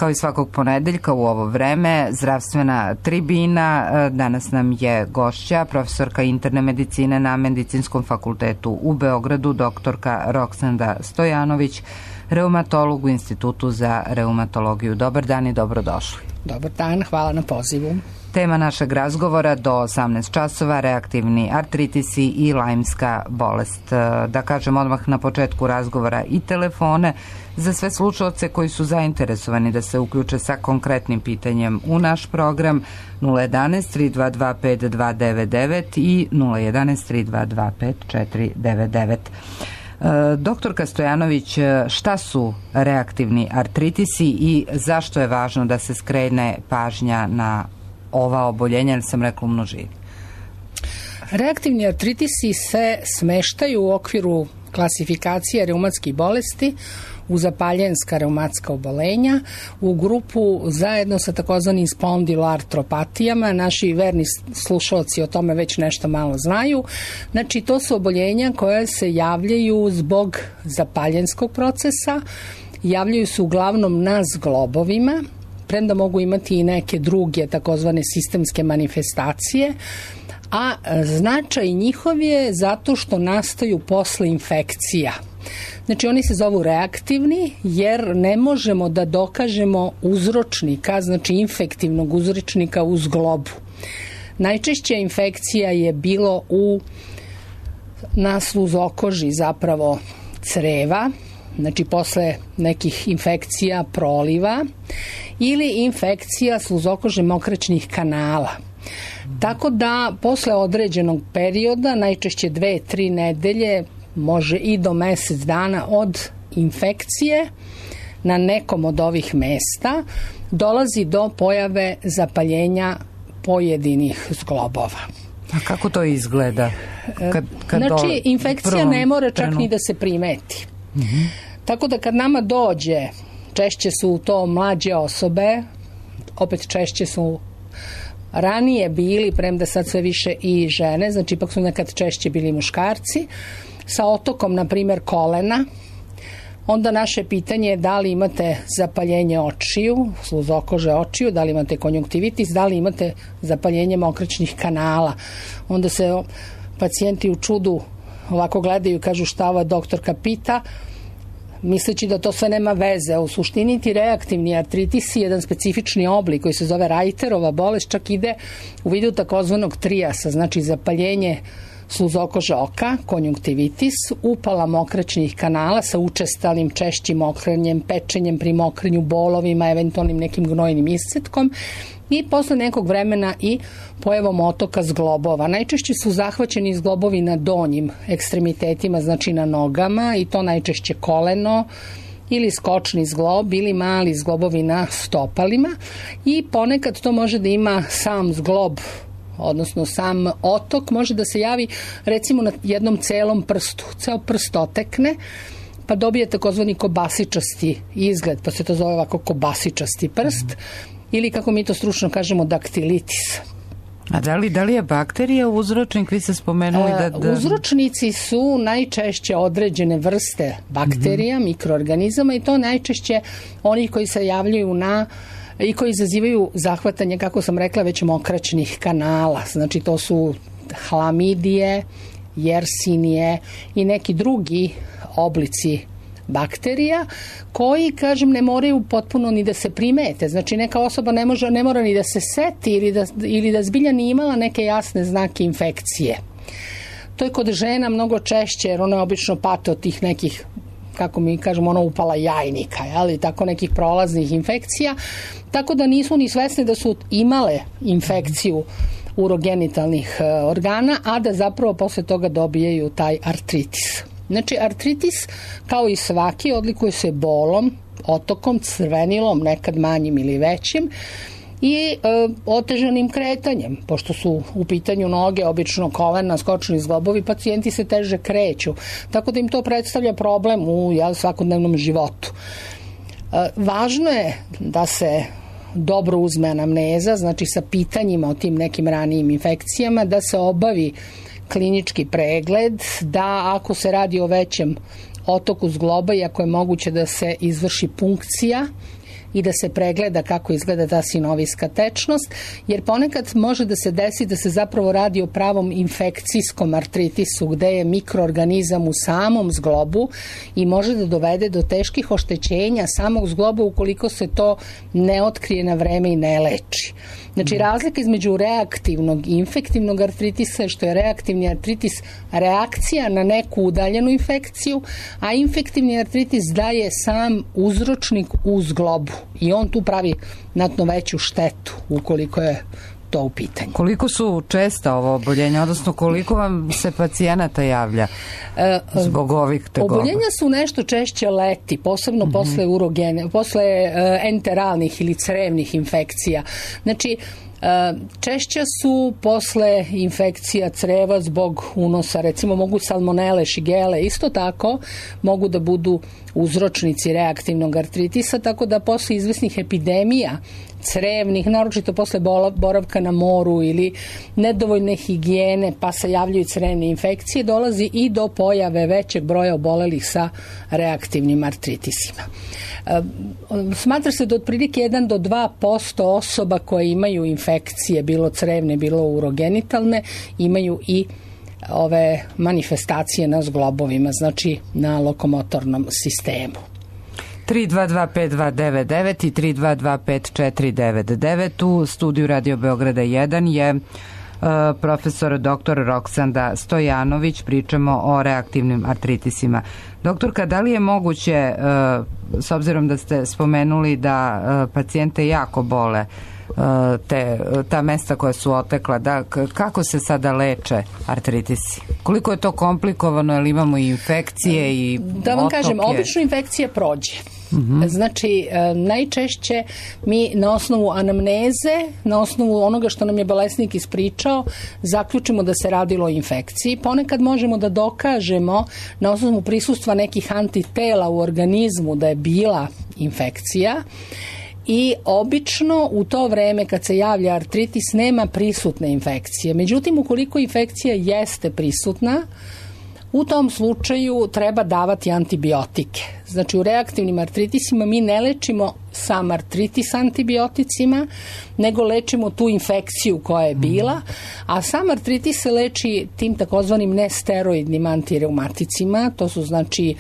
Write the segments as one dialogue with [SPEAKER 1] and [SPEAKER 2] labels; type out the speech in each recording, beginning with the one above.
[SPEAKER 1] Kao i svakog ponedeljka u ovo vreme, zdravstvena tribina. Danas nam je gošća, profesorka interne medicine na Medicinskom fakultetu u Beogradu, doktorka Roksanda Stojanović, reumatolog u Institutu za reumatologiju. Dobar dan i dobrodošli.
[SPEAKER 2] Dobar dan, hvala na pozivu.
[SPEAKER 1] Tema našeg razgovora do 18 časova, reaktivni artritisi i lajmska bolest. Da kažem odmah na početku razgovora i telefone za sve slušaoce koji su zainteresovani da se uključe sa konkretnim pitanjem u naš program 011 322 5299 i 011 322 5499. Doktorka Stojanović, šta su reaktivni artritisi i zašto je važno da se skrene pažnja na ova oboljenja, jer sam rekla u množini?
[SPEAKER 2] Reaktivni artritisi se smeštaju u okviru klasifikacije reumatskih bolesti u zapaljenska reumatska obolenja u grupu zajedno sa takozvanim spondiloartropatijama. Naši verni slušalci o tome već nešto malo znaju. Znači, to su oboljenja koje se javljaju zbog zapaljenskog procesa, javljaju se uglavnom na zglobovima, premda mogu imati i neke druge takozvane sistemske manifestacije, a značaj njihov je zato što nastaju posle infekcija. Znači, oni se zovu reaktivni jer ne možemo da dokažemo uzročnika, znači infektivnog uzročnika u zglobu. Najčešće infekcija je bilo na sluzokoži zapravo creva, znači posle nekih infekcija proliva ili infekcija sluzokože mokraćnih kanala. Tako da posle određenog perioda, najčešće 2-3 nedelje, može i do mesec dana od infekcije na nekom od ovih mesta, dolazi do pojave zapaljenja zglobova.
[SPEAKER 1] A kako to izgleda?
[SPEAKER 2] Znači, infekcija ne mora čak ni da se primeti. Tako da kad nama dođe, češće su to mlađe osobe, opet češće su ranije bili, premda sad sve više i žene, znači ipak su nekad češće bili muškarci, sa otokom, na primjer, kolena, onda naše pitanje je da li imate zapaljenje očiju, sluzokože očiju, da li imate konjunktivitis, da li imate zapaljenje mokraćnih kanala. Onda se pacijenti u čudu ovako gledaju i kažu šta ova doktorka pita, misleći da to sve nema veze. U suštini ti reaktivni artritis je jedan specifični oblik koji se zove Reiterova bolest, čak ide u vidu takozvanog trijasa, znači zapaljenje sluzokože oka, konjunktivitis, upala mokraćnih kanala sa učestalim češćim mokrenjem, pečenjem pri mokrenju, bolovima, eventualnim nekim gnojnim iscetkom i posle nekog vremena i pojavom otoka zglobova. Najčešće su zahvaćeni zglobovi na donjim ekstremitetima, znači na nogama, i to najčešće koleno ili skočni zglob ili mali zglobovi na stopalima, i ponekad to može da ima sam zglob, odnosno sam otok može da se javi recimo na jednom celom prstu. Ceo prst otekne pa dobije takozvani kobasičasti izgled, pa se to zove ovako kobasičasti prst, ili kako mi to stručno kažemo daktilitis.
[SPEAKER 1] A da li je bakterija uzročnik? Vi ste spomenuli da...
[SPEAKER 2] Uzročnici su najčešće određene vrste bakterija, mikroorganizama, i to najčešće onih koji se javljaju i koji izazivaju zahvatanje, kako sam rekla, već mokraćnih kanala. Znači, to su hlamidije, jersinije i neki drugi oblici bakterija koji, kažem, ne moraju potpuno ni da se primete. Znači, neka osoba ne mora ni da se seti ili da zbilja ni imala neke jasne znake infekcije. To je kod žena mnogo češće, jer one obično pate od tih nekih, kako mi kažemo, upala jajnika, ali tako nekih prolaznih infekcija, tako da nisu ni svesne da su imale infekciju urogenitalnih organa, a da zapravo posle toga dobijaju taj artritis. Znači, artritis, kao i svaki, odlikuje se bolom, otokom, crvenilom, nekad manjim ili većim, i otežanim kretanjem. Pošto su u pitanju noge, obično kolena, skočni zglobovi, pacijenti se teže kreću. Tako da im to predstavlja problem u svakodnevnom životu. Važno je da se dobro uzme anamneza, znači sa pitanjima o tim nekim ranijim infekcijama, da se obavi klinički pregled, da ako se radi o većem otoku zgloba i ako je moguće da se izvrši punkcija i da se pregleda kako izgleda ta sinovijska tečnost, jer ponekad može da se desi da se zapravo radi o pravom infekcijskom artritisu gde je mikroorganizam u samom zglobu i može da dovede do teških oštećenja samog zgloba ukoliko se to ne otkrije na vreme i ne leči. Znači, razlika između reaktivnog i infektivnog artritisa je što je reaktivni artritis reakcija na neku udaljenu infekciju, a infektivni artritis daje sam uzročnik u zglobu i on tu pravi znatno veću štetu ukoliko je to u pitanju.
[SPEAKER 1] Koliko su česta ovo oboljenja, odnosno koliko vam se pacijenata javlja zbog ovih tegoba?
[SPEAKER 2] Oboljenja su nešto češće leti, posebno posle enteralnih ili crevnih infekcija. Znači, češće su posle infekcija creva zbog unosa, recimo mogu salmonele, šigele, isto tako mogu da budu uzročnici reaktivnog artritisa, tako da posle izvesnih epidemija crevnih, naročito posle boravka na moru ili nedovoljne higijene, pa se javljaju crevne infekcije, dolazi i do pojave većeg broja obolelih sa reaktivnim artritisima. Smatra se da otprilike 1 do 2% osoba koje imaju infekcije, bilo crevne, bilo urogenitalne, imaju i ove manifestacije na zglobovima, znači na lokomotornom sistemu.
[SPEAKER 1] 322-5299 i 322-5499. U studiju Radio Beograda 1 je profesor dr. Roksanda Stojanović. Pričamo o reaktivnim artritisima. Doktorka, da li je moguće, s obzirom da ste spomenuli da pacijente jako bole ta mesta koja su otekla, kako se sada leče artritisi? Koliko je to komplikovano, jer imamo i infekcije i
[SPEAKER 2] da vam kažem, obično infekcija prođe. Znači, najčešće mi na osnovu anamneze, na osnovu onoga što nam je bolesnik ispričao, zaključimo da se radilo o infekciji. Ponekad možemo da dokažemo na osnovu prisustva nekih antitela u organizmu da je bila infekcija. I obično u to vreme kad se javlja artritis nema prisutne infekcije. Međutim, ukoliko infekcija jeste prisutna, u tom slučaju treba davati antibiotike. Znači, u reaktivnim artritisima mi ne lečimo sam artritis antibioticima, nego lečimo tu infekciju koja je bila, a sam artritis se leči tim takozvanim nesteroidnim antireumaticima. To su znači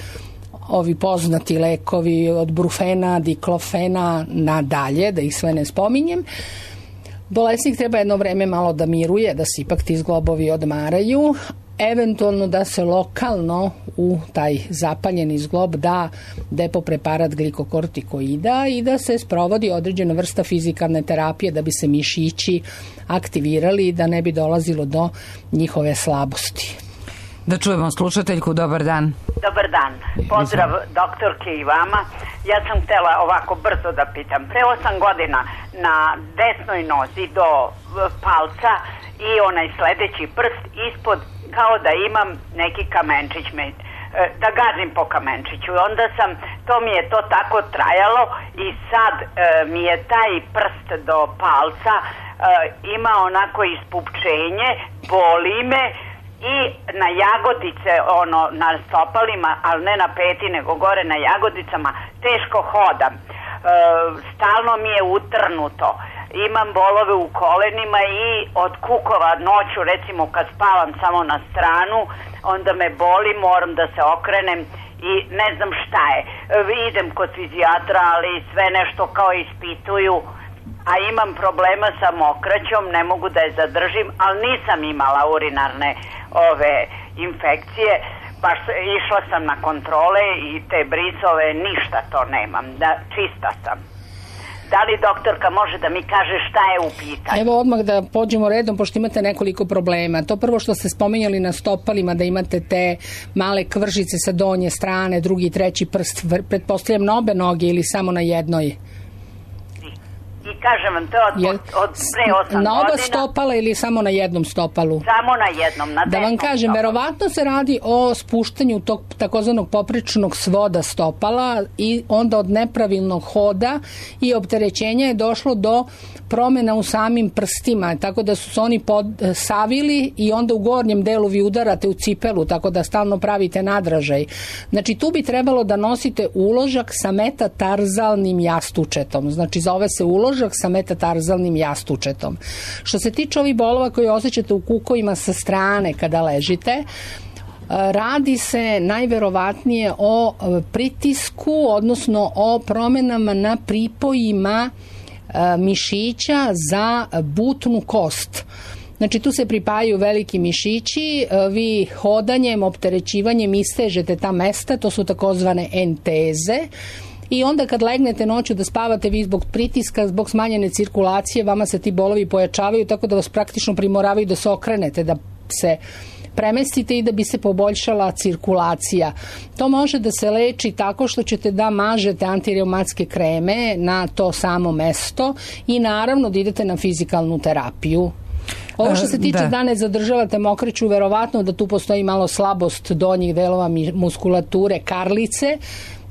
[SPEAKER 2] ovi poznati lekovi od brufena, diklofena nadalje, da ih sve ne spominjem. Bolesnik treba jedno vreme malo da miruje, da se ipak ti zglobovi odmaraju, eventualno da se lokalno u taj zapaljeni zglob da depopreparat glikokortikoida i da se sprovodi određena vrsta fizikalne terapije da bi se mišići aktivirali i da ne bi dolazilo do njihove slabosti.
[SPEAKER 1] Da čujemo slušateljku, dobar dan.
[SPEAKER 3] Dobar dan, pozdrav doktorke i vama. Ja sam htjela ovako brzo da pitam. Pre 8 godina na desnoj nozi do palca i onaj sledeći prst ispod, kao da imam neki kamenčić, da gazim po kamenčiću. Onda to mi je to tako trajalo i sad mi je taj prst do palca ima onako ispupčenje, boli me i na jagodice, na stopalima, ali ne na peti, nego gore na jagodicama, teško hodam. Stalno mi je utrnuto. Imam bolove u kolenima i od kukova noću, recimo kad spavam samo na stranu, onda me boli, moram da se okrenem i ne znam šta je. Idem kod fizijatra, ali sve nešto kao ispituju, a imam problema sa mokraćom, ne mogu da je zadržim, ali nisam imala urinarne infekcije. Baš išla sam na kontrole i te brisove, ništa to nemam, čista sam. Da li doktorka može da mi kaže šta je u pitanju?
[SPEAKER 2] Evo odmah da pođemo redom, pošto imate nekoliko problema. To prvo što ste spominjali na stopalima, da imate te male kvržice sa donje strane, drugi i treći prst, pretpostavljam na obe noge ili samo na jednoj?
[SPEAKER 3] I Kažem vam, to je od pre 8 godina.
[SPEAKER 2] Na oba stopala ili samo na jednom stopalu?
[SPEAKER 3] Samo na jednom, na desnom.
[SPEAKER 2] Da vam kažem,
[SPEAKER 3] stopalu.
[SPEAKER 2] verovatno se radi o spuštanju tog takozvanog poprečnog svoda stopala i onda od nepravilnog hoda i opterećenja je došlo do promjena u samim prstima, tako da su se oni savili i onda u gornjem delu vi udarate u cipelu, tako da stalno pravite nadražaj. Znači tu bi trebalo da nosite uložak sa metatarzalnim jastučetom. Znači zove se uložak sa metatarzalnim jastučetom. Što se tiče ovih bolova koje osjećate u kukovima sa strane kada ležite, radi se najverovatnije o pritisku, odnosno o promjenama na pripojima mišića za butnu kost. Znači tu se pripajaju veliki mišići, vi hodanjem, opterećivanjem istežete ta mesta, to su takozvane enteze. I onda kad legnete noću da spavate, vi zbog pritiska, zbog smanjene cirkulacije, vama se ti bolovi pojačavaju, tako da vas praktično primoravaju da se okrenete, da se premestite i da bi se poboljšala cirkulacija. To može da se leči tako što ćete da mažete antireumatske kreme na to samo mesto i naravno da idete na fizikalnu terapiju. Ovo što se tiče da ne zadržavate mokraću, verovatno da tu postoji malo slabost donjih delova muskulature karlice.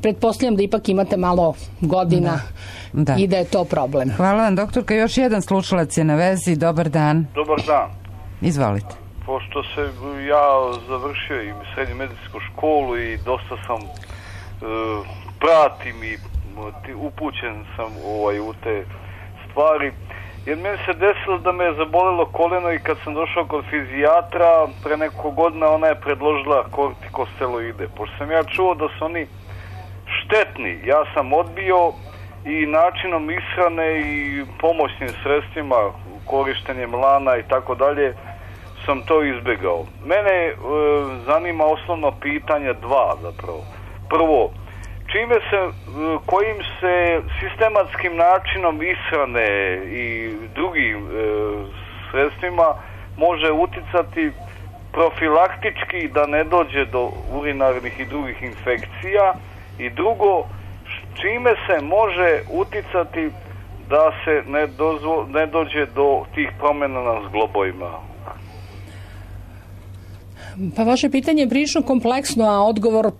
[SPEAKER 2] Pretpostavljam da ipak imate malo godina i da je to problem.
[SPEAKER 1] Hvala vam, doktorka. Još jedan slušalac je na vezi. Dobar dan.
[SPEAKER 4] Dobar dan.
[SPEAKER 1] Izvolite.
[SPEAKER 4] Pošto se ja završio i srednju medicinsku školu i dosta sam pratim i upućen sam u te stvari, jer meni se desilo da me je zabolilo koleno i kad sam došao kod fizijatra pre nekoliko godina, ona je predložila kortikosteroide. Pošto sam ja čuo da su oni štetni, ja sam odbio i načinom ishrane i pomoćnim sredstvima, korištenjem lana i tako dalje, sam to izbjegao. Mene zanima osnovno pitanje dva zapravo. Prvo, kojim se sistematskim načinom ishrane i drugim sredstvima može uticati profilaktički da ne dođe do urinarnih i drugih infekcija, i drugo, čime se može uticati da se ne dođe do tih promjena na zglobovima?
[SPEAKER 2] Pa vaše pitanje je prilično kompleksno, a odgovor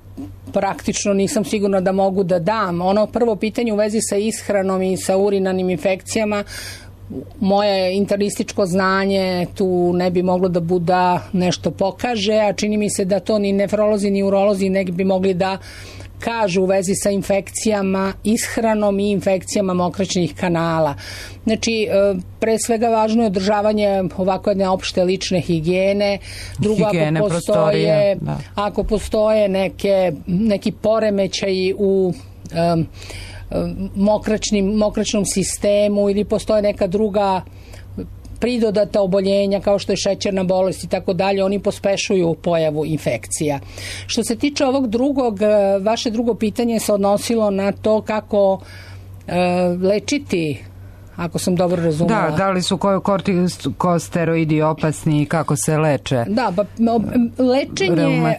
[SPEAKER 2] praktično nisam sigurna da mogu da dam. Ono prvo pitanje u vezi sa ishranom i sa urinarnim infekcijama, moje internističko znanje tu ne bi moglo da bude nešto pokaže, a čini mi se da to ni nefrolozi ni urolozi ne bi mogli da kažu u vezi sa infekcijama, ishranom i infekcijama mokraćnih kanala. Znači, pre svega važno je održavanje ovako jedne opšte lične higijene. Drugo, ako postoje neki poremećaji u mokraćnom sistemu ili postoje neka druga pridodata oboljenja kao što je šećerna bolest i tako dalje, oni pospešuju pojavu infekcija. Što se tiče ovog drugog, vaše drugo pitanje se odnosilo na to kako lečiti, ako sam dobro razumela.
[SPEAKER 1] Da li su kortikosteroidi opasni i kako se leče?
[SPEAKER 2] Da, lečenje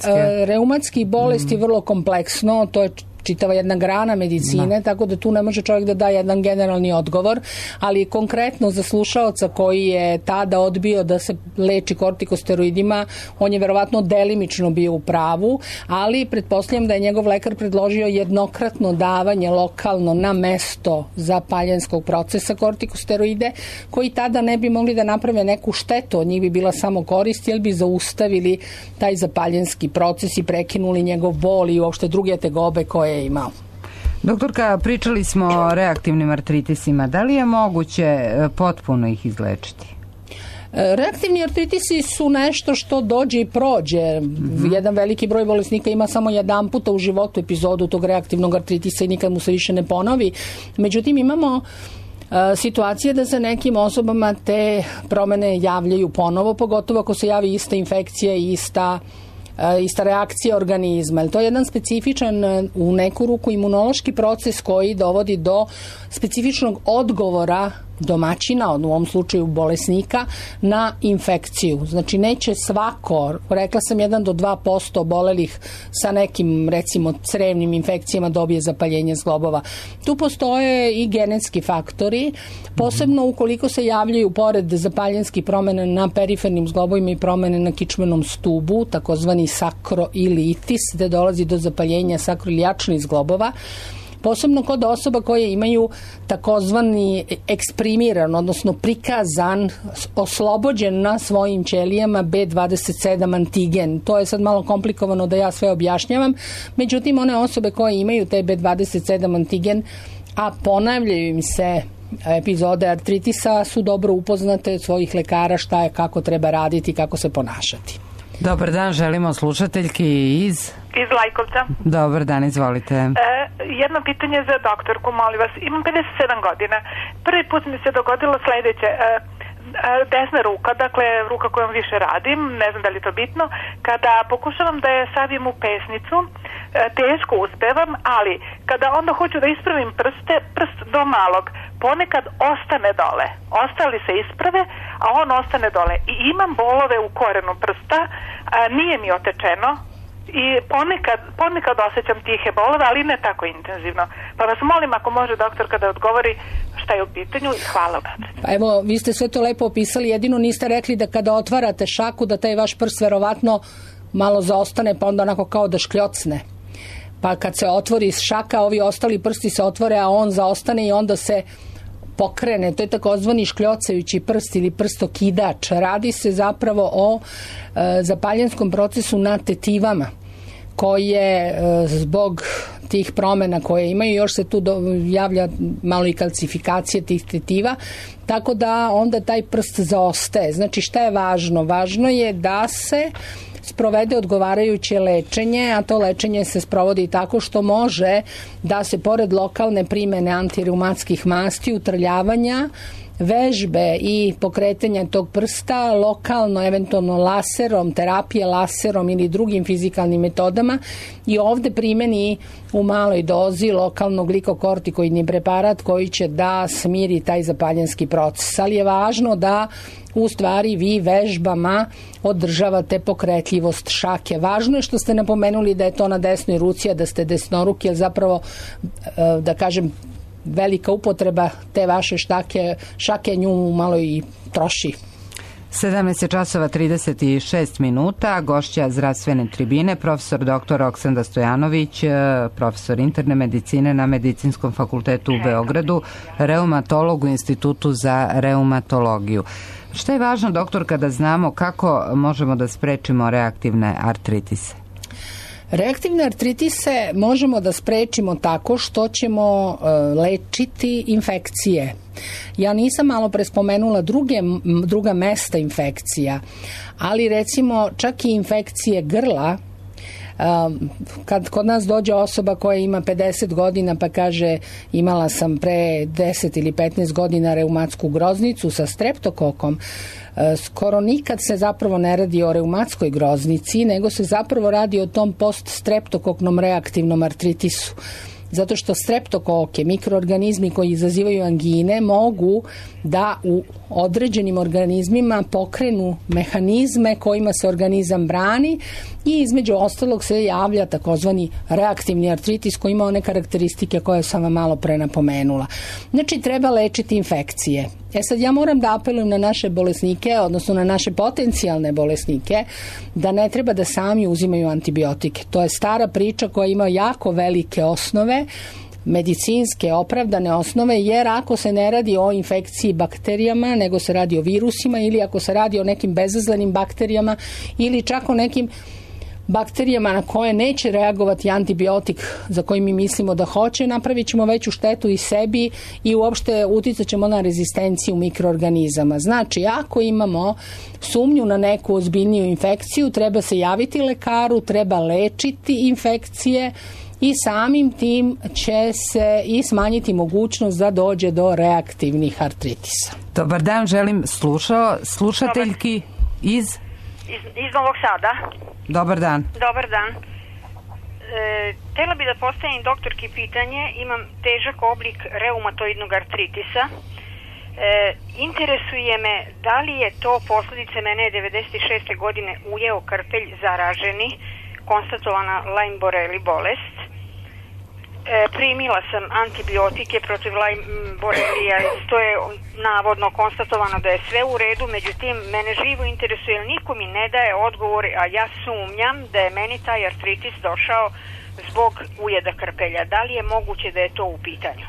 [SPEAKER 2] reumatskih bolesti je vrlo kompleksno, to je čitava jedna grana medicine, tako da tu ne može čovjek da da jedan generalni odgovor, ali konkretno za slušaoca koji je tada odbio da se leči kortikosteroidima, on je verovatno delimično bio u pravu, ali pretpostavljam da je njegov lekar predložio jednokratno davanje lokalno na mesto zapaljenskog procesa kortikosteroide, koji tada ne bi mogli da naprave neku štetu, od njih bi bila samo korist, jer bi zaustavili taj zapaljenski proces i prekinuli njegov bol i uopšte druge tegobe koje je imao.
[SPEAKER 1] Doktorka, pričali smo o reaktivnim artritisima. Da li je moguće potpuno ih izlečiti?
[SPEAKER 2] Reaktivni artritisi su nešto što dođe i prođe. Jedan veliki broj bolesnika ima samo jedan puta u životu epizodu tog reaktivnog artritisa i nikad mu se više ne ponovi. Međutim, imamo situacije da se nekim osobama te promjene javljaju ponovo, pogotovo ako se javi ista infekcija i ista reakcija organizma. To je jedan specifičan, u neku ruku, imunološki proces koji dovodi do specifičnog odgovora domaćina, u ovom slučaju bolesnika, na infekciju. Znači neće svako, rekla sam 1 do 2% obolelih sa nekim recimo crevnim infekcijama dobije zapaljenje zglobova. Tu postoje i genetski faktori, posebno ukoliko se javljaju pored zapaljenskih promjena na perifernim zglobovima i promjene na kičmenom stubu, takozvani sakroilitis, gde dolazi do zapaljenja sakroilijačnih zglobova, posebno kod osoba koje imaju takozvani eksprimiran, odnosno prikazan, oslobođen na svojim ćelijama B27 antigen. To je sad malo komplikovano da ja sve objašnjavam, međutim one osobe koje imaju te B27 antigen, a ponavljaju im se epizode artritisa, su dobro upoznate od svojih lekara šta je, kako treba raditi, kako se ponašati.
[SPEAKER 1] Dobar dan, želimo slušateljki iz
[SPEAKER 5] Lajkovca.
[SPEAKER 1] Dobar dan, izvolite.
[SPEAKER 5] Jedno pitanje za doktorku, molim vas. Imam 57 godina. Prvi put mi se dogodilo sledeće. Desna ruka, dakle ruka kojom više radim, ne znam da li je to bitno, kada pokušavam da je savim u pesnicu, teško uspevam, ali kada onda hoću da ispravim prst do malog, ponekad ostane dole. Ostali se isprave, a on ostane dole. I imam bolove u korenu prsta, nije mi otečeno, i ponekad osjećam tihe bolove, ali ne tako intenzivno. Pa vas molim ako može doktor kada odgovori šta je u pitanju i hvala vam.
[SPEAKER 2] Pa evo, vi ste sve to lepo opisali, jedino niste rekli da kada otvarate šaku da taj vaš prst verovatno malo zaostane pa onda onako kao da škljocne. Pa kad se otvori šaka, ovi ostali prsti se otvore, a on zaostane i onda se pokrene. To je takozvani škljocajući prst ili prstokidač. Radi se zapravo o zapaljenskom procesu na tetivama koje zbog tih promjena koje imaju, još se tu javlja malo i kalcifikacije tih tetiva, tako da onda taj prst zaostaje. Znači šta je važno? Važno je da se sprovede odgovarajuće lečenje, a to lečenje se sprovodi tako što može da se pored lokalne primene antireumatskih masti, utrljavanja, vežbe i pokretanja tog prsta lokalno, eventualno laserom, terapije laserom ili drugim fizikalnim metodama i ovde primeni u maloj dozi lokalno glikokortikoidni preparat koji će da smiri taj zapaljenski proces. Ali je važno da u stvari vi vežbama održavate pokretljivost šake. Važno je što ste napomenuli da je to na desnoj ruci, a da ste desnoruki, jer zapravo, da kažem, velika upotreba te vaše šake nju malo i troši.
[SPEAKER 1] 17 časova 36 minuta, gošća zdravstvene tribine, profesor dr. Oksanda Stojanović, profesor interne medicine na Medicinskom fakultetu u Beogradu, reumatolog u Institutu za reumatologiju. Šta je važno, doktor, kada znamo kako možemo da sprečimo reaktivne artritise?
[SPEAKER 2] Reaktivne artritise možemo da sprečimo tako što ćemo lečiti infekcije. Ja nisam malo pre spomenula druga mesta infekcija, ali recimo čak i infekcije grla, kad kod nas dođe osoba koja ima 50 godina pa kaže imala sam pre 10 ili 15 godina reumatsku groznicu sa streptokokom, skoro nikad se zapravo ne radi o reumatskoj groznici, nego se zapravo radi o tom poststreptokoknom reaktivnom artritisu. Zato što streptokoke, mikroorganizmi koji izazivaju angine, mogu da u određenim organizmima pokrenu mehanizme kojima se organizam brani i između ostalog se javlja takozvani reaktivni artritis koji ima one karakteristike koje sam vam malo pre napomenula. Znači treba lečiti infekcije. Sad ja moram da apelujem na naše bolesnike, odnosno na naše potencijalne bolesnike, da ne treba da sami uzimaju antibiotike. To je stara priča koja ima jako velike osnove, medicinske opravdane osnove, jer ako se ne radi o infekciji bakterijama, nego se radi o virusima ili ako se radi o nekim bezazlenim bakterijama ili čak o nekim bakterijama na koje neće reagovati antibiotik za koji mi mislimo da hoće, napravit ćemo veću štetu i sebi i uopšte uticat ćemo na rezistenciju mikroorganizama. Znači, ako imamo sumnju na neku ozbiljniju infekciju, treba se javiti lekaru, treba lečiti infekcije i samim tim će se i smanjiti mogućnost da dođe do reaktivnih artritisa.
[SPEAKER 1] Dobar dan, želim slušateljki iz
[SPEAKER 6] Novog Sada.
[SPEAKER 1] Dobar dan.
[SPEAKER 6] Dobar dan. Htjela bi da postavim doktorki pitanje. Imam težak oblik reumatoidnog artritisa. Interesuje me da li je to posljedice, mene je 96. godine ujeo krpelj zaraženi, konstatovana Lyme boreli bolest. Primila sam antibiotike protiv Lyme borelija, to je navodno konstatovano da je sve u redu, međutim mene živo interesuje, niko mi ne daje odgovor, a ja sumnjam da je meni taj artritis došao zbog ujeda krpelja. Da li je moguće da je to u pitanju?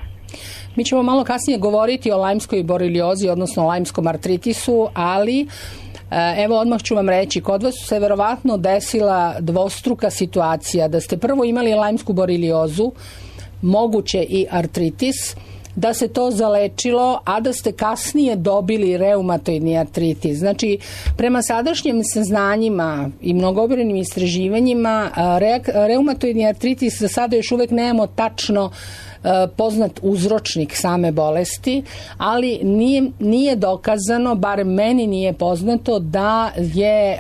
[SPEAKER 2] Mi ćemo malo kasnije govoriti o lajmskoj boreliozi, odnosno lajmskom artritisu, ali evo odmah ću vam reći, kod vas se verovatno desila dvostruka situacija, da ste prvo imali lajmsku boreliozu, moguće i artritis, da se to zalečilo, a da ste kasnije dobili reumatoidni artritis. Znači, prema sadašnjim saznanjima i mnogobrojnim istraživanjima, reumatoidni artritis za sada još uvek nemamo tačno poznat uzročnik same bolesti, ali nije dokazano, bar meni nije poznato, da je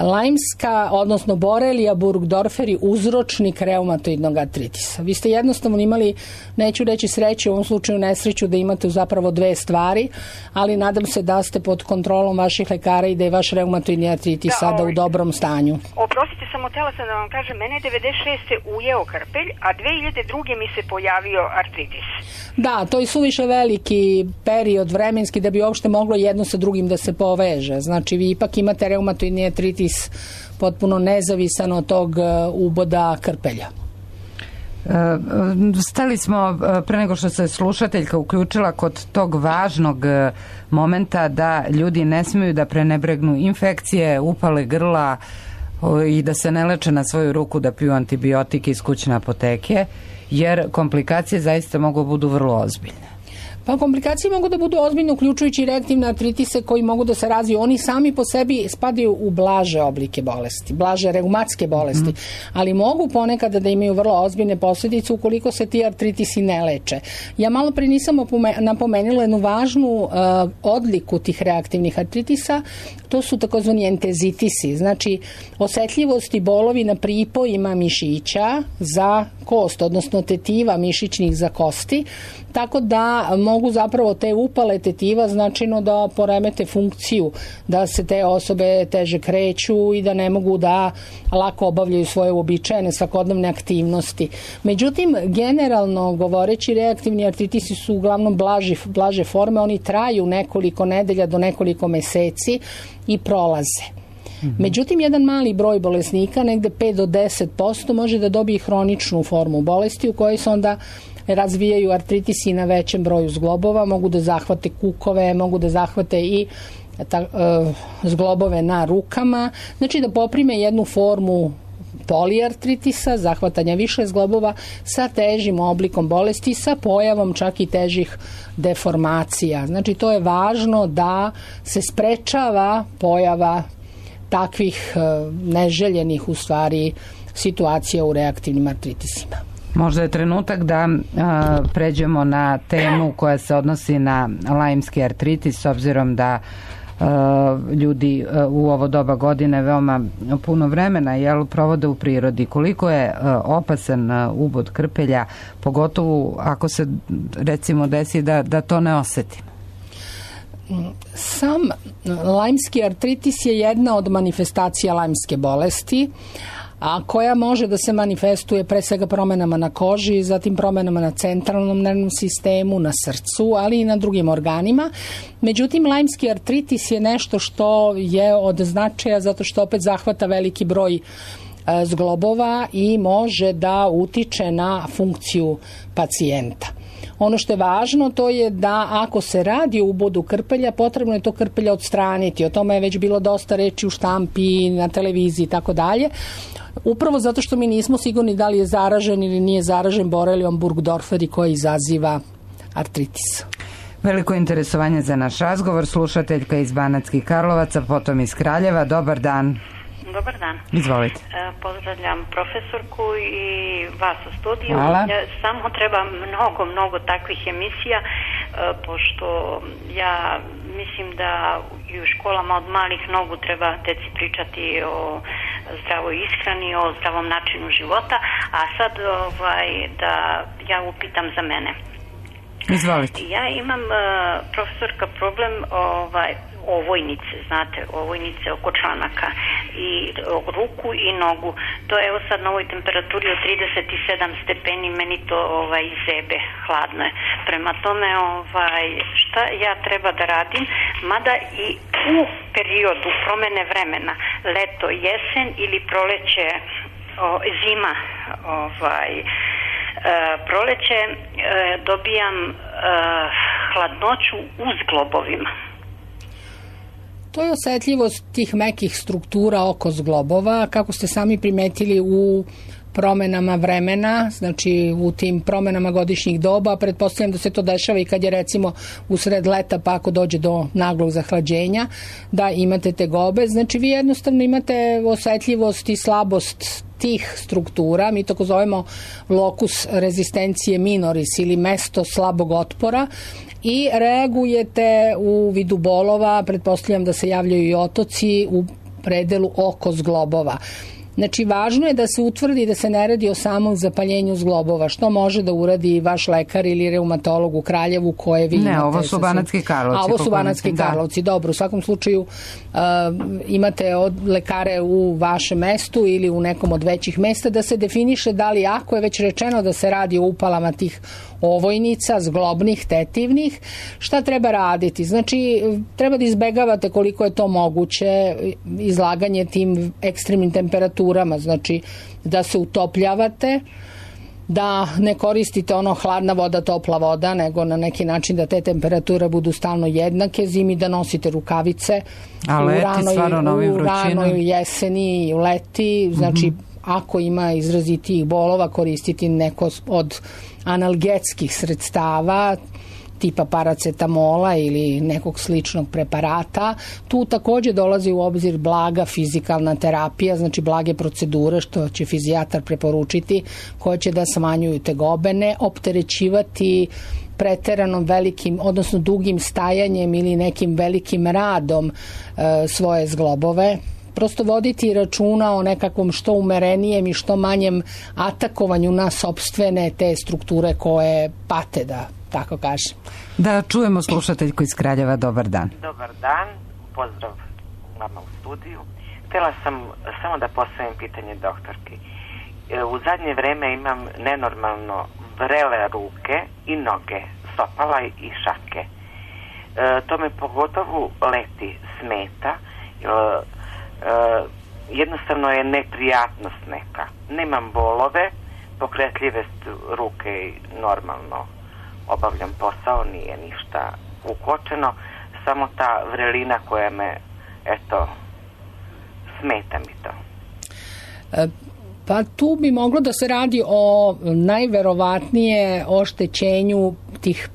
[SPEAKER 2] lajmska, odnosno borelija burgdorferi uzročnik reumatoidnog artritisa. Vi ste jednostavno imali, neću reći sreću, u ovom slučaju nesreću, da imate zapravo dve stvari, ali nadam se da ste pod kontrolom vaših lekara i da je vaš reumatoidni artritis sada u dobrom stanju.
[SPEAKER 6] Oprostite, samo htjela sam da vam kažem, mene 96. ujeo krpelj, a 2002. mi se pojavio artritis.
[SPEAKER 2] Da, to je suviše veliki period vremenski da bi uopšte moglo jedno sa drugim da se poveže. Znači, vi ipak imate reumatoidni artritis potpuno nezavisan od tog uboda krpelja.
[SPEAKER 1] Stali smo, pre nego što se slušateljka uključila, kod tog važnog momenta da ljudi ne smiju da prenebregnu infekcije, upale grla i da se ne leče na svoju ruku, da piju antibiotike iz kućne apoteke, jer komplikacije zaista mogu budu vrlo ozbiljne.
[SPEAKER 2] Pa komplikacije mogu da budu ozbiljne, uključujući reaktivne artritise koji mogu da se razviju. Oni sami po sebi spadaju u blaže oblike bolesti, blaže reumatske bolesti, ali mogu ponekad da imaju vrlo ozbiljne posljedice ukoliko se ti artritisi ne leče. Ja malo prije nisam napomenula jednu važnu odliku tih reaktivnih artritisa, to su takozvani entezitisi, znači osetljivost i bolovi na pripojima mišića za kost, odnosno tetiva mišićnih za kosti, tako da mogu zapravo te upale tetiva značajno da poremete funkciju, da se te osobe teže kreću i da ne mogu da lako obavljaju svoje uobičajene svakodnevne aktivnosti. Međutim, generalno govoreći, reaktivni artritisi su uglavnom blaže forme, oni traju nekoliko nedelja do nekoliko meseci i prolaze. Međutim, jedan mali broj bolesnika, negde 5 do 10%, može da dobije hroničnu formu bolesti u kojoj se onda razvijaju artritisi na većem broju zglobova, mogu da zahvate kukove, mogu da zahvate i zglobove na rukama, znači da poprime jednu formu poliartritisa, zahvatanja više zglobova sa težim oblikom bolesti, sa pojavom čak i težih deformacija. Znači to je važno da se sprečava pojava takvih neželjenih u stvari situacija u reaktivnim artritisima.
[SPEAKER 1] Možda je trenutak da pređemo na temu koja se odnosi na lajmski artritis, s obzirom da ljudi u ovo doba godine veoma puno vremena provode u prirodi. Koliko je opasan ubod krpelja, pogotovo ako se recimo desi da to ne osetimo?
[SPEAKER 2] Sam lajmski artritis je jedna od manifestacija lajmske bolesti, a koja može da se manifestuje pre svega promenama na koži, zatim promenama na centralnom nervnom sistemu, na srcu, ali i na drugim organima. Međutim, lajmski artritis je nešto što je od značaja zato što opet zahvata veliki broj zglobova i može da utiče na funkciju pacijenta. Ono što je važno to je da ako se radi o ubodu krpelja, potrebno je to krpelja odstraniti. O tome je već bilo dosta reči u štampi, na televiziji i tako dalje. Upravo zato što mi nismo sigurni da li je zaražen ili nije zaražen borelijom burgdorferi koji izaziva artritis.
[SPEAKER 1] Veliko interesovanje za naš razgovor. Slušateljka iz Banatskih Karlovaca, potom iz Kraljeva. Dobar dan.
[SPEAKER 7] Dobar dan.
[SPEAKER 1] Izvolite.
[SPEAKER 7] Pozdravljam profesorku i vas u studiju.
[SPEAKER 1] Hvala.
[SPEAKER 7] Samo treba mnogo takvih emisija, pošto ja mislim da i u školama od malih nogu treba deci pričati o zdravoj ishrani, o zdravom načinu života, a sad da ja upitam za mene.
[SPEAKER 1] Izvolite.
[SPEAKER 7] Ja imam, profesorka, problem ovojnice, znate, ovojnice oko članaka i ruku i nogu. To evo sad na ovoj temperaturi od 37 stepeni meni to zebe, hladno je. Prema tome, šta ja treba da radim? Mada i u periodu promene vremena, leto, jesen ili proleće, zima, proleće, dobijam hladnoću u zglobovima.
[SPEAKER 2] To je osetljivost tih mekih struktura oko zglobova, kako ste sami primetili u promenama vremena, znači u tim promenama godišnjih doba. Pretpostavljam da se to dešava i kad je recimo usred leta, pa ako dođe do naglog zahlađenja, da imate tegobe. Znači vi jednostavno imate osetljivost i slabost tih struktura, mi to zovemo locus rezistencije minoris ili mesto slabog otpora, i reagujete u vidu bolova, pretpostavljam da se javljaju i otoci u predelu oko zglobova. Znači, važno je da se utvrdi da se ne radi o samom zapaljenju zglobova, što može da uradi vaš lekar ili reumatolog u Kraljevu koje vi imate.
[SPEAKER 1] Ne, ovo su Banatski Karlovci.
[SPEAKER 2] A ovo su Banatski Karlovci, dobro. U svakom slučaju imate lekare u vašem mestu ili u nekom od većih mesta da se definiše da li, ako je već rečeno da se radi o upalama tih ovojnica, zglobnih, tetivnih, šta treba raditi? Znači, treba da izbegavate koliko je to moguće izlaganje tim ekstremnim temperaturama, znači da se utopljavate, da ne koristite hladna voda, topla voda, nego na neki način da te temperature budu stalno jednake, zimi da nosite rukavice, u ranoj jeseni i u leti, znači ako ima izrazitijih bolova, koristiti neko od analgetskih sredstava tipa paracetamola ili nekog sličnog preparata. Tu takođe dolazi u obzir blaga fizikalna terapija, znači blage procedure što će fizijatar preporučiti, koje će da smanjuju tegobe, ne opterećivati preteranom velikim, odnosno dugim stajanjem ili nekim velikim radom svoje zglobove. Prosto voditi računa o nekakvom što umerenijem i što manjem atakovanju na sopstvene te strukture koje pate, da tako kažem.
[SPEAKER 1] Da čujemo slušateljku iz Kraljeva. Dobar dan.
[SPEAKER 8] Dobar dan, pozdrav vama u studiju. Htjela sam samo da postavim pitanje doktorki. U zadnje vreme imam nenormalno vrele ruke i noge, stopala i šake. To me pogotovo leti smeta, jednostavno je neprijatnost neka. Nemam bolove, pokretljive ruke i normalno obavljam posao, nije ništa ukočeno, samo ta vrelina koja me, smeta mi to.
[SPEAKER 2] Pa tu bi moglo da se radi o najverovatnije oštećenju tih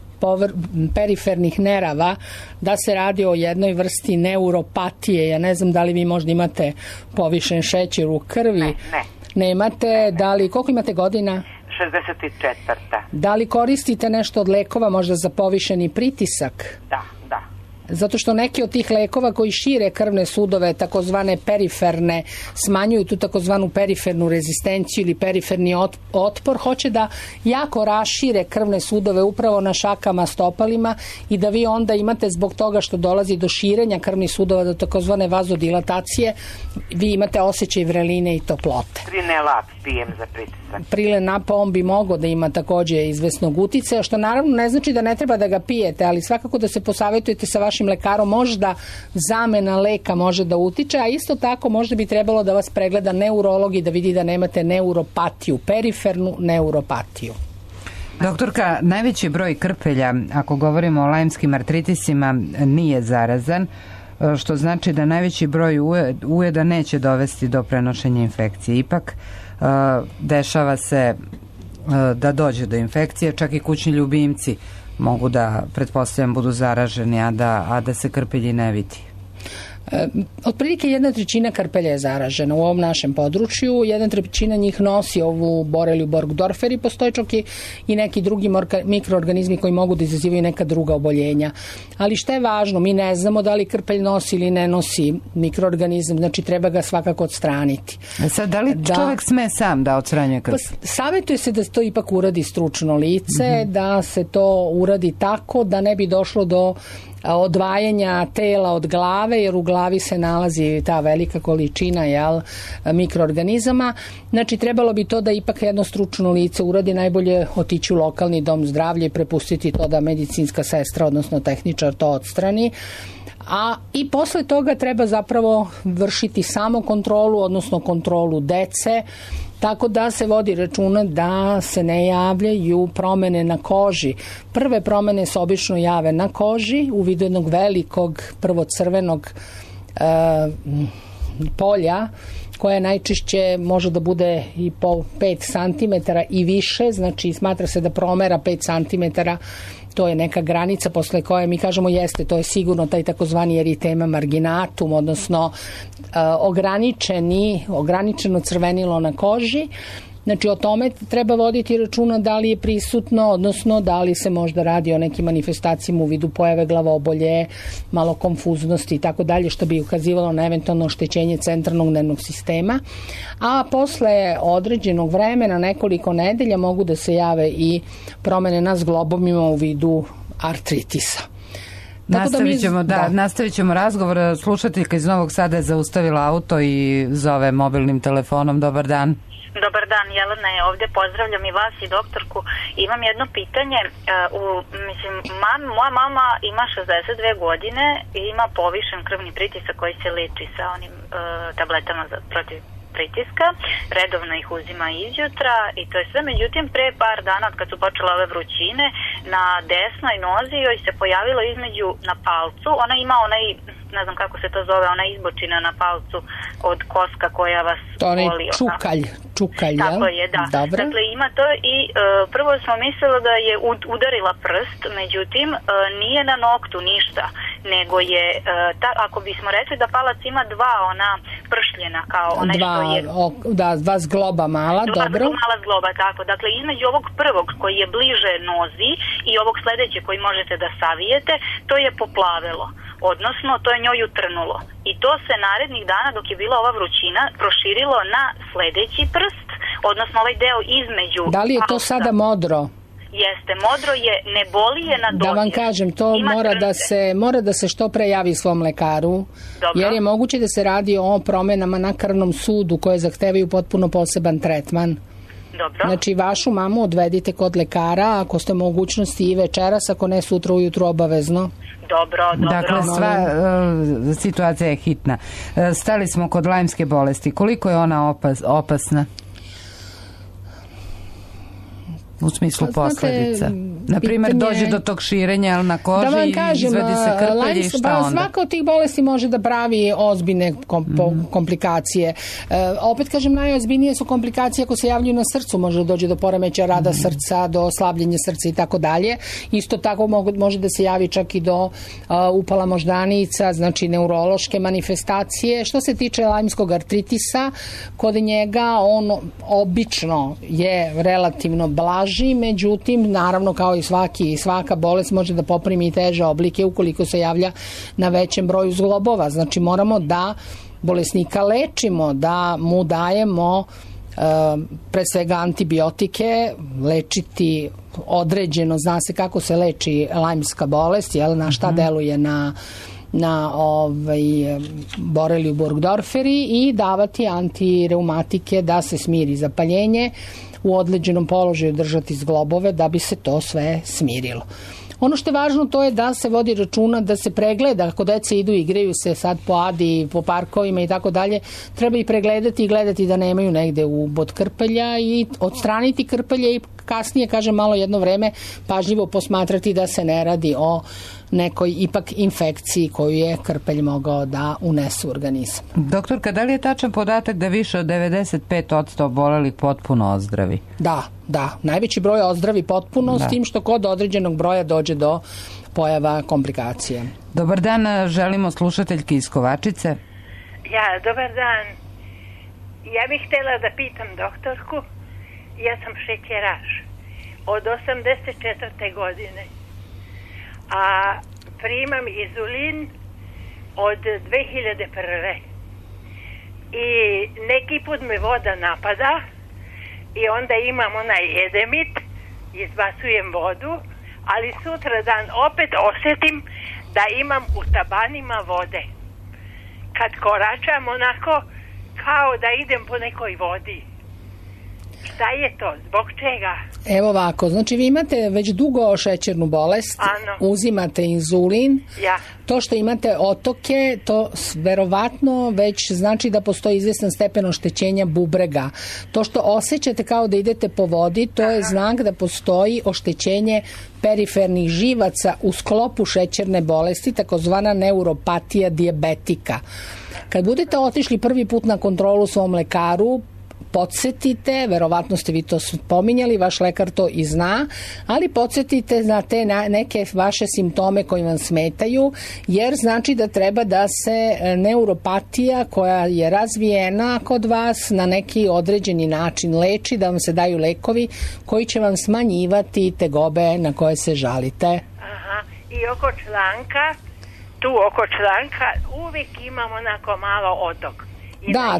[SPEAKER 2] perifernih nerava, da se radi o jednoj vrsti neuropatije. Ja ne znam da li vi možda imate povišen šećer u krvi.
[SPEAKER 8] Ne.
[SPEAKER 2] Nemate, da li, koliko imate godina?
[SPEAKER 8] 64.
[SPEAKER 2] Da li koristite nešto od lekova možda za povišeni pritisak?
[SPEAKER 8] Da.
[SPEAKER 2] Zato što neki od tih lekova koji šire krvne sudove, takozvane periferne, smanjuju tu takozvanu perifernu rezistenciju ili periferni otpor, hoće da jako rašire krvne sudove upravo na šakama, stopalima i da vi onda imate zbog toga što dolazi do širenja krvnih sudova, do takozvane vazodilatacije, vi imate osjećaj vreline i toplote.
[SPEAKER 8] Prilnap pijem za pritisak.
[SPEAKER 2] Prilnap, on bi mogao da ima takođe izvesnog uticaja, što naravno ne znači da ne treba da ga pijete, ali svakako da se posavetujete sa vašim lekarom, možda zamena leka može da utiče, a isto tako možda bi trebalo da vas pregleda neurolog i da vidi da nemate neuropatiju, perifernu neuropatiju.
[SPEAKER 1] Doktorka, najveći broj krpelja, ako govorimo o lajmskim artritisima, nije zarazan, što znači da najveći broj ujeda neće dovesti do prenošenja infekcije. Ipak dešava se da dođe do infekcije, čak i kućni ljubimci mogu da, pretpostavljam, budu zaraženi, a da se krpelji ne vidi.
[SPEAKER 2] Otprilike 1/3 krpelja je zaražena u ovom našem području, 1/3 njih nosi ovu boreliju Burgdorfer i postoje čak i neki drugi mikroorganizmi koji mogu da izazivaju neka druga oboljenja. Ali šta je važno, mi ne znamo da li krpelj nosi ili ne nosi mikroorganizam, znači treba ga svakako odstraniti.
[SPEAKER 1] Sad, da li čovjek sme sam da odstranjuje krpelj?
[SPEAKER 2] Savjetuje se da to ipak uradi stručno lice, da se to uradi tako da ne bi došlo do odvajanja tela od glave, jer u glavi se nalazi ta velika količina mikroorganizama. Znači, trebalo bi to da ipak jedno stručno lice uradi, najbolje otići u lokalni dom zdravlja i prepustiti to da medicinska sestra, odnosno tehničar, to odstrani. I posle toga treba zapravo vršiti samo kontrolu, odnosno kontrolu dece, tako da se vodi računa da se ne javljaju promene na koži. Prve promene se obično jave na koži u vidu jednog velikog, prvo crvenog polja, koje najčešće može da bude i po 5 cm i više, znači smatra se da promera 5 cm, to je neka granica posle koje mi kažemo jeste, to je sigurno taj takozvani eritema marginatum, odnosno ograničeno crvenilo na koži. Znači, o tome treba voditi računa da li je prisutno, odnosno da li se možda radi o nekim manifestacijama u vidu pojave glavobolje, malo konfuznosti i tako dalje, što bi ukazivalo na eventualno oštećenje centralnog nervnog sistema. A posle određenog vremena, nekoliko nedelja, mogu da se jave i promene na zglobovima u vidu artritisa.
[SPEAKER 1] Nastavit ćemo razgovor. Slušateljka iz Novog Sada je zaustavila auto i zove mobilnim telefonom. Dobar dan.
[SPEAKER 9] Dobar dan, Jelena je ovdje, pozdravljam i vas i doktorku. Imam jedno pitanje, moja mama ima 62 godine i ima povišen krvni pritisak koji se leči sa onim tabletama protiv pritiska, redovno ih uzima izjutra i to je sve. Međutim, pre par dana kad su počele ove vrućine, na desnoj nozi joj se pojavilo između na palcu, ona ima onaj, ne znam kako se to zove, ona izbočina na palcu od koska koja vas boli.
[SPEAKER 2] Čukalj,
[SPEAKER 9] tako je, da.
[SPEAKER 2] Dobro.
[SPEAKER 9] Dakle, ima to i prvo smo mislili da je udarila prst, međutim, nije na noktu ništa, nego je, ako bismo rekli da palac ima dva ona pršljena, kao onaj što je...
[SPEAKER 2] dva zgloba mala, dobro.
[SPEAKER 9] Dva mala zgloba, tako. Dakle, između ovog prvog koji je bliže nozi i ovog sledeće koji možete da savijete, to je poplavilo. Odnosno, to je njoj utrnulo. I to se narednih dana, dok je bila ova vrućina, proširilo na sledeći prst, odnosno ovaj deo između...
[SPEAKER 2] Da li je to sada modro?
[SPEAKER 9] Jeste, modro je, ne boli je na dodir.
[SPEAKER 2] Da vam kažem, to mora da se što pre javi svom lekaru, jer je moguće da se radi o promenama na krvnom sudu koje zahtevaju potpuno poseban tretman.
[SPEAKER 9] Dobro.
[SPEAKER 2] Znači, vašu mamu odvedite kod lekara, ako ste mogućnosti i večeras, ako ne sutra ujutru obavezno.
[SPEAKER 9] Dobro.
[SPEAKER 1] Dakle, sva situacija je hitna. Stali smo kod lajmske bolesti. Koliko je ona opasna? U smislu posledica. Naprimjer, dođe do tog širenja na koži i izvedi se krpelj i šta onda?
[SPEAKER 2] Svaka od tih bolesti može da pravi ozbiljne komplikacije. Opet kažem, najozbiljnije su komplikacije ako se javljaju na srcu. Može da dođe do poremećaja rada srca, do slabljenja srca i tako dalje. Isto tako može da se javi čak i do upala moždanica, znači neurološke manifestacije. Što se tiče lajmskog artritisa, kod njega on obično je relativno blaž, međutim, naravno, kao i svaka bolest može da poprimi i teže oblike ukoliko se javlja na većem broju zglobova. Znači, moramo da bolesnika lečimo, da mu dajemo pre svega antibiotike, lečiti određeno, zna se kako se leči lajmska bolest, na šta deluje na boreliju Burgdorferi i davati antireumatike da se smiri zapaljenje, u određenom položaju držati zglobove da bi se to sve smirilo. Ono što je važno to je da se vodi računa, da se pregleda, ako deca idu i igraju se sad po Adi, po parkovima i tako dalje, treba i pregledati i gledati da nemaju negde ubod krpelja i odstraniti krpelje i kasnije, kažem, malo jedno vreme pažljivo posmatrati da se ne radi o nekoj ipak infekciji koju je krpelj mogao da unese u organizam.
[SPEAKER 1] Doktorka, da li je tačan podatak da više od 95% obolelih potpuno ozdravi?
[SPEAKER 2] Da. Najveći broj ozdravi potpuno, s tim što kod određenog broja dođe do pojava komplikacija.
[SPEAKER 1] Dobar dan, želimo slušateljki iz Kovačice.
[SPEAKER 10] Dobar dan. Ja bih htjela da pitam doktorku, ja sam šećeraš od 84. godine, a primam inzulin od 2001. I neki put me voda napada i onda imam onaj edemit, izbacujem vodu, ali sutra dan opet osjetim da imam u tabanima vode. Kad koračam onako kao da idem po nekoj vodi. Šta je to? Zbog čega?
[SPEAKER 2] Evo ovako, znači vi imate već dugo šećernu bolest, uzimate inzulin, to što imate otoke, to verovatno već znači da postoji izvestan stepen oštećenja bubrega. To što osjećate kao da idete po vodi, to je znak da postoji oštećenje perifernih živaca u sklopu šećerne bolesti, takozvana neuropatija dijabetika. Kad budete otišli prvi put na kontrolu svom lekaru, podsjetite, verovatno ste vi to spominjali, vaš lekar to i zna, ali podsjetite na te neke vaše simptome koji vam smetaju, jer znači da treba da se neuropatija koja je razvijena kod vas na neki određeni način leči, da vam se daju lekovi koji će vam smanjivati tegobe na koje se žalite.
[SPEAKER 10] I oko članka uvijek imam onako malo otok.
[SPEAKER 2] Da,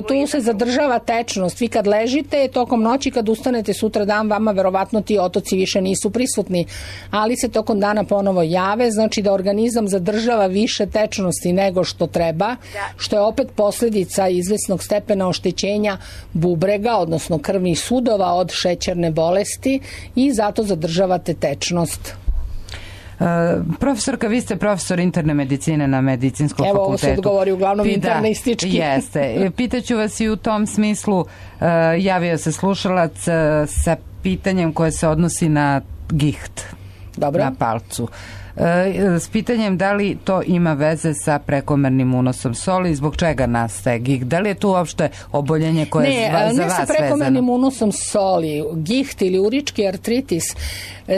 [SPEAKER 2] tu se zadržava tečnost. Vi kad ležite, tokom noći kad ustanete sutra dan, vama verovatno ti otoci više nisu prisutni, ali se tokom dana ponovo jave, znači da organizam zadržava više tečnosti nego što treba, što je opet posljedica izvesnog stepena oštećenja bubrega, odnosno krvnih sudova od šećerne bolesti i zato zadržavate tečnost.
[SPEAKER 1] Profesorka, vi ste profesor interne medicine na Medicinskom fakultetu.
[SPEAKER 2] Evo, ovo se odgovori uglavnom internistički.
[SPEAKER 1] Jeste. Pitaću vas i u tom smislu, javio se slušalac sa pitanjem koje se odnosi na giht.
[SPEAKER 2] Dobro.
[SPEAKER 1] Na palcu. S pitanjem da li to ima veze sa prekomernim unosom soli i zbog čega nastaje giht? Da li je tu uopšte oboljenje koje je za vas vezano?
[SPEAKER 2] Ne sa prekomernim unosom soli. Giht ili urički artritis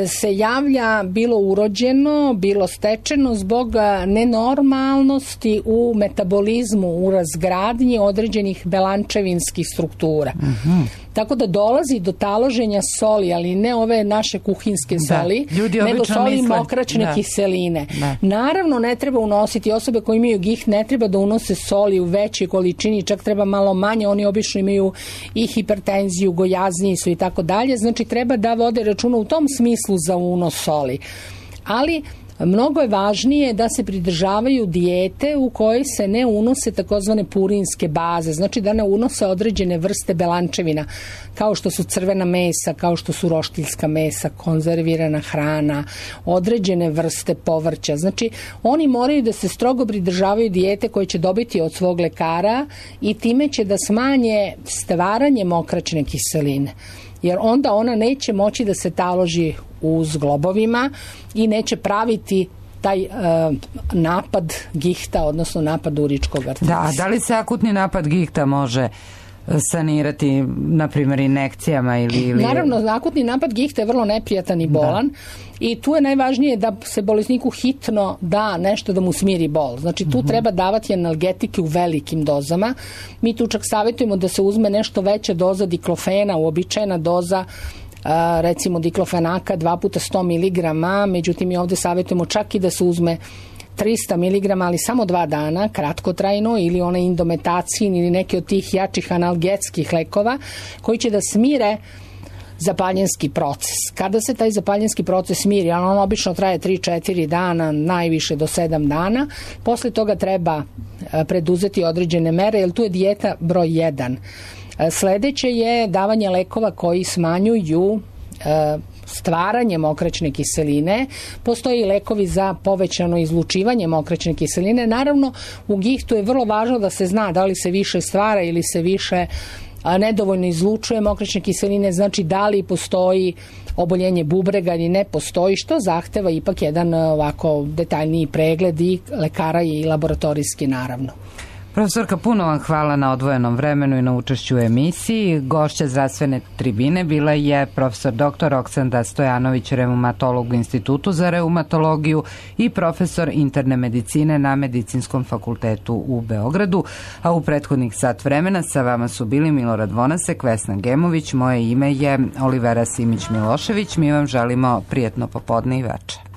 [SPEAKER 2] se javlja bilo urođeno, bilo stečeno zbog nenormalnosti u metabolizmu, u razgradnji određenih belančevinskih struktura. Tako da dolazi do taloženja soli, ali ne ove naše kuhinske soli, nego soli mokraćne kiseline. Naravno, ne treba unositi, osobe koje imaju giht ne treba da unose soli u većoj količini, čak treba malo manje, oni obično imaju i hipertenziju, gojazniji su i tako dalje, znači treba da vode računa u tom smislu za unos soli. Ali mnogo je važnije da se pridržavaju dijete u kojoj se ne unose takozvane purinske baze, znači da ne unose određene vrste belančevina, kao što su crvena mesa, kao što su roštiljska mesa, konzervirana hrana, određene vrste povrća. Znači, oni moraju da se strogo pridržavaju dijete koje će dobiti od svog lekara i time će da smanje stvaranje mokraćne kiseline, jer onda ona neće moći da se taloži u zglobovima i neće praviti taj napad gihta, odnosno napad uričkog artritisa.
[SPEAKER 1] Da li se akutni napad gihta može sanirati, na primjer, injekcijama ili...
[SPEAKER 2] Naravno, akutni napad gihta je vrlo neprijatan i bolan i tu je najvažnije da se bolesniku hitno da nešto da mu smiri bol. Znači, tu treba davati analgetike u velikim dozama. Mi tu čak savjetujemo da se uzme nešto veća doza diklofena, uobičajena doza recimo diklofenaka 2 puta 100 mg, međutim mi ovdje savjetujemo čak i da se uzme 300 mg, ali samo 2 dana, kratkotrajno, ili onaj indometacin ili neki od tih jačih analgetskih lekova koji će da smire zapaljenski proces. Kada se taj zapaljenski proces smiri, on obično traje 3-4 dana, najviše do 7 dana, posle toga treba preduzeti određene mere, jer tu je dijeta broj 1. Sledeće je davanje lekova koji smanjuju stvaranje mokraćne kiseline. Postoji lekovi za povećano izlučivanje mokraćne kiseline. Naravno, u gihtu je vrlo važno da se zna da li se više stvara ili se više nedovoljno izlučuje mokraćne kiseline, znači da li postoji oboljenje bubrega ili ne postoji, što zahteva ipak jedan ovako detaljniji pregled i lekara i laboratorijski naravno.
[SPEAKER 1] Profesorka, puno vam hvala na odvojenom vremenu i na učešću u emisiji. Gošća zdravstvene tribine bila je profesor dr. Roksanda Stojanović, reumatolog u Institutu za reumatologiju i profesor interne medicine na Medicinskom fakultetu u Beogradu. A u prethodnih sat vremena sa vama su bili Milorad Vonasek, Vesna Gemović, moje ime je Olivera Simić-Milošević. Mi vam želimo prijetno popodne i veče.